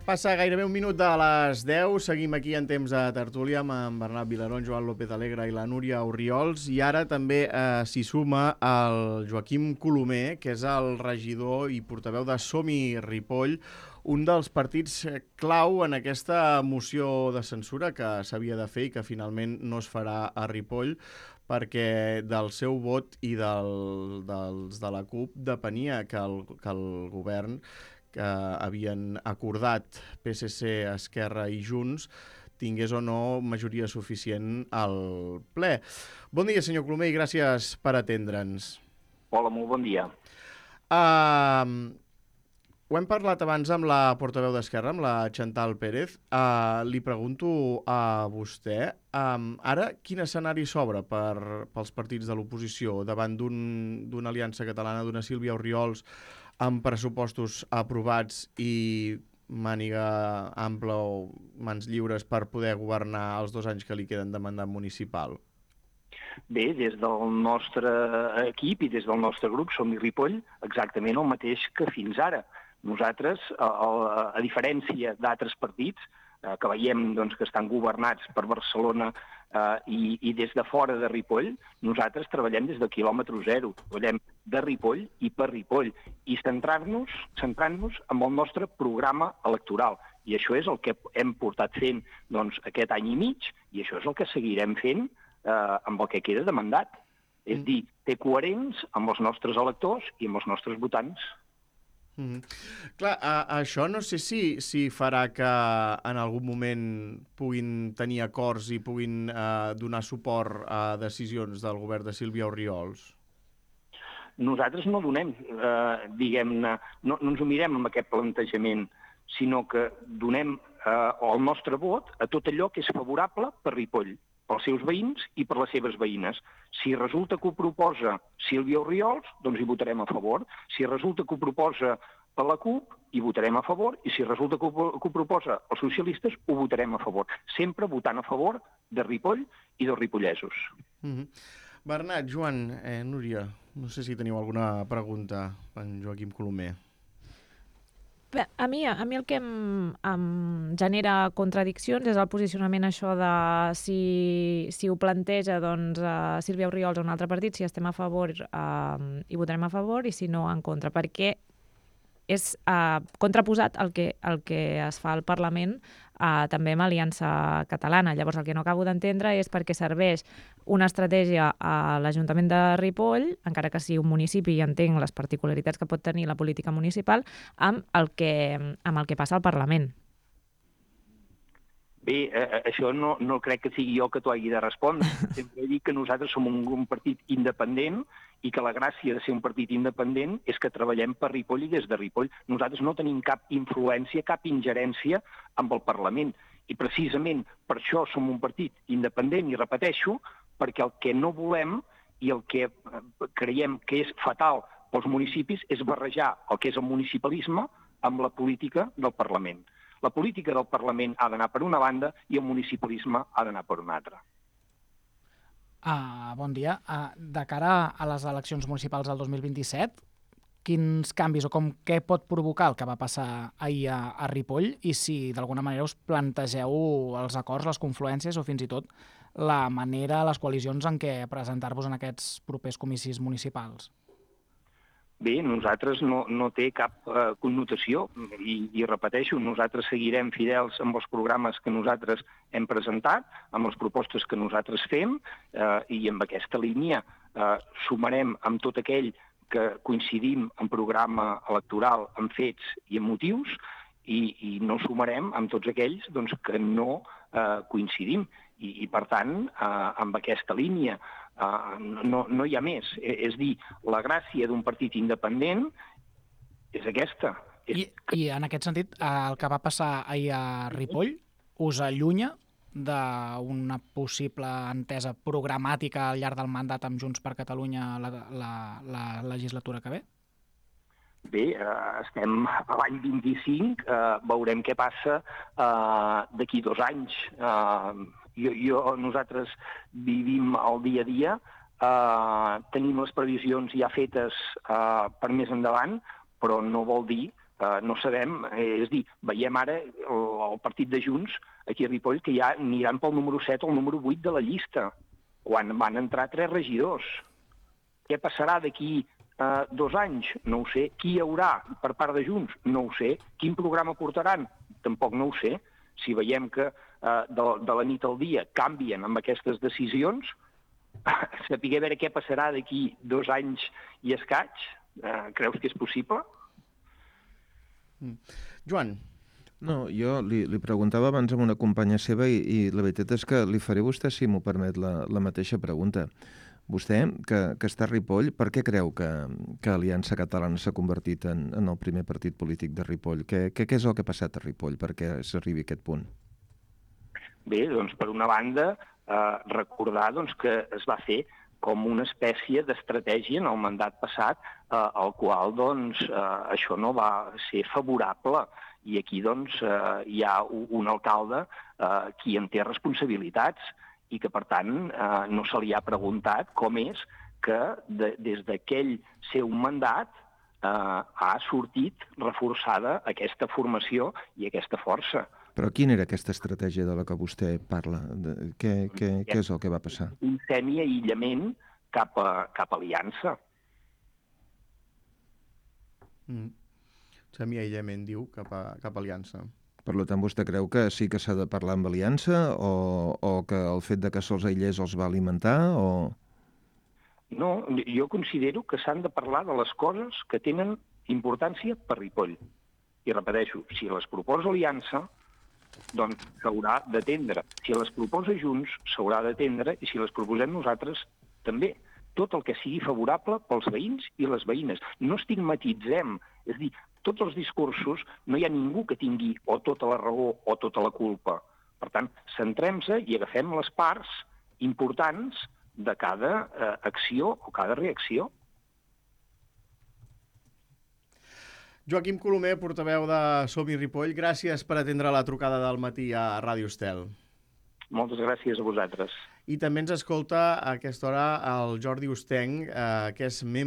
Passa gairebé un minut de les 10, seguim aquí en temps de tertúlia amb en Bernat Vilarón, Joan López Alegre i la Núria Orriols, i ara també s'hi suma el Joaquim Colomer, que és el regidor i portaveu de Som-hi Ripoll, un dels partits clau en aquesta moció de censura que s'havia de fer i que finalment no es farà a Ripoll, perquè del seu vot i dels de la CUP depenia que el govern que havien acordat PSC, Esquerra i Junts tingués o no majoria suficient al ple. Bon dia, senyor Colomer, i gràcies per atendre'ns. Hola, molt bon dia. Ho hem parlat abans amb la portaveu d'Esquerra, amb la Chantal Pérez. Li pregunto a vostè, ara quin escenari s'obre pels partits de l'oposició davant d'una aliança catalana, d'una Sílvia Orriols, amb pressupostos aprovats i màniga ampla o mans lliures per poder governar els 2 anys que li queden de mandat municipal? Bé, des del nostre equip i des del nostre grup, Som-hi Ripoll, exactament el mateix que fins ara. Nosaltres, a diferència d'altres partits, que veiem doncs, que estan governats per Barcelona i des de fora de Ripoll, nosaltres treballem des del quilòmetre zero, treballem de Ripoll i per Ripoll, i centrant-nos en el nostre programa electoral. I això és el que hem portat fent doncs, aquest any i mig, i això és el que seguirem fent amb el que queda de mandat. És dir, ser coherents amb els nostres electors i amb els nostres votants. Clar, això no sé si farà que en algun moment puguin tenir acords i puguin donar suport a decisions del govern de Sílvia Orriols. Nosaltres no donem, diguem-ne, no ens ho mirem amb aquest plantejament, sinó que donem el nostre vot a tot allò que és favorable per Ripoll, pels seus veïns i per les seves veïnes. Si resulta que ho proposa Sílvia Orriols, doncs hi votarem a favor. Si resulta que ho proposa per la CUP, hi votarem a favor. I si resulta que ho proposa els socialistes, ho votarem a favor. Sempre votant a favor de Ripoll i dels ripollesos. Bernat, Joan, Núria, no sé si teniu alguna pregunta per en Joaquim Colomer. Bé, a mi el que em genera contradiccions és el posicionament això de si ho planteja doncs, Sílvia Orriols o un altre partit, si estem a favor hi votarem a favor i si no en contra, perquè és contraposat el que es fa al Parlament també amb Aliança Catalana. Llavors el que no acabo d'entendre és perquè serveix una estratègia a l'Ajuntament de Ripoll, encara que sigui un municipi i entenc les particularitats que pot tenir la política municipal, amb el que passa al Parlament. Bé, això no crec que sigui jo que t'ho hagi de respondre. Sempre he dit que nosaltres som un partit independent i que la gràcia de ser un partit independent és que treballem per Ripoll i des de Ripoll. Nosaltres no tenim cap influència, cap ingerència amb el Parlament. I precisament per això som un partit independent, i repeteixo, perquè el que no volem i el que creiem que és fatal pels municipis és barrejar el que és el municipalisme amb la política del Parlament. La política del Parlament ha d'anar per una banda i el municipalisme ha d'anar per una altra. Bon dia. De cara a les eleccions municipals del 2027, quins canvis o què pot provocar el que va passar ahir a Ripoll i si d'alguna manera us plantegeu els acords, les confluències o fins i tot la manera, les coalicions en què presentar-vos en aquests propers comicis municipals? Bé, nosaltres no té cap connotació i repeteixo, nosaltres seguirem fidels amb els programes que nosaltres hem presentat, amb les propostes que nosaltres fem i amb aquesta línia sumarem amb tot aquell que coincidim en programa electoral, en fets i en motius i no sumarem amb tots aquells doncs, que no coincidim. I per tant, amb aquesta línia no hi ha més. És dir, la gràcia d'un partit independent és aquesta. I en aquest sentit, el que va passar ahir a Ripoll us allunya d'una possible entesa programàtica al llarg del mandat amb Junts per Catalunya la legislatura que ve? Bé, estem a l'any 25, veurem què passa d'aquí 2 anys. Nosaltres vivim el dia a dia, tenim les previsions ja fetes per més endavant, però no vol dir no sabem, és a dir, veiem ara el partit de Junts aquí a Ripoll que ja aniran pel número 7 o el número 8 de la llista, quan van entrar 3 regidors. Què passarà d'aquí 2 anys? No ho sé. Qui hi haurà per part de Junts? No ho sé. Quin programa portaran? Tampoc no ho sé. Si veiem que de la nit al dia canvien amb aquestes decisions, saber veure què passarà d'aquí 2 anys i escaig, creus que és possible? Joan. No, jo li preguntava abans amb una companya seva i la veritat és que li faré a vostè, si m'ho permet, la mateixa pregunta. Vostè, que està a Ripoll, per què creu que Aliança Catalana s'ha convertit en el primer partit polític de Ripoll? Què és el que ha passat a Ripoll perquè s'arribi a aquest punt? Bé, doncs, per una banda, recordar que es va fer com una espècie d'estratègia en el mandat passat, al qual això no va ser favorable. I aquí hi ha un alcalde qui en té responsabilitats i que, per tant, no se li ha preguntat com és que des d'aquell seu mandat ha sortit reforçada aquesta formació i aquesta força. Però quina era aquesta estratègia de la que vostè parla? Què és el que va passar? Un semi-aïllament cap a Aliança. Semi-aïllament, diu, cap a Aliança. Per tant, vostè creu que sí que s'ha de parlar amb Aliança o que el fet de que se'ls aïllés els va alimentar? No, jo considero que s'han de parlar de les coses que tenen importància per Ripoll. I repeteixo, si les proposa Aliança, doncs s'haurà d'atendre. Si les proposa Junts, s'haurà d'atendre, i si les proposem nosaltres, també. Tot el que sigui favorable pels veïns i les veïnes. No estigmatitzem, és a dir, tots els discursos, no hi ha ningú que tingui o tota la raó o tota la culpa. Per tant, centrem-se i agafem les parts importants de cada acció o cada reacció. Joaquim Colomer, portaveu de Som-hi Ripoll, gràcies per atendre la trucada del matí a Ràdio Estel. Moltes gràcies a vosaltres. I també ens escolta a aquesta hora el Jordi Ostenc, que és membre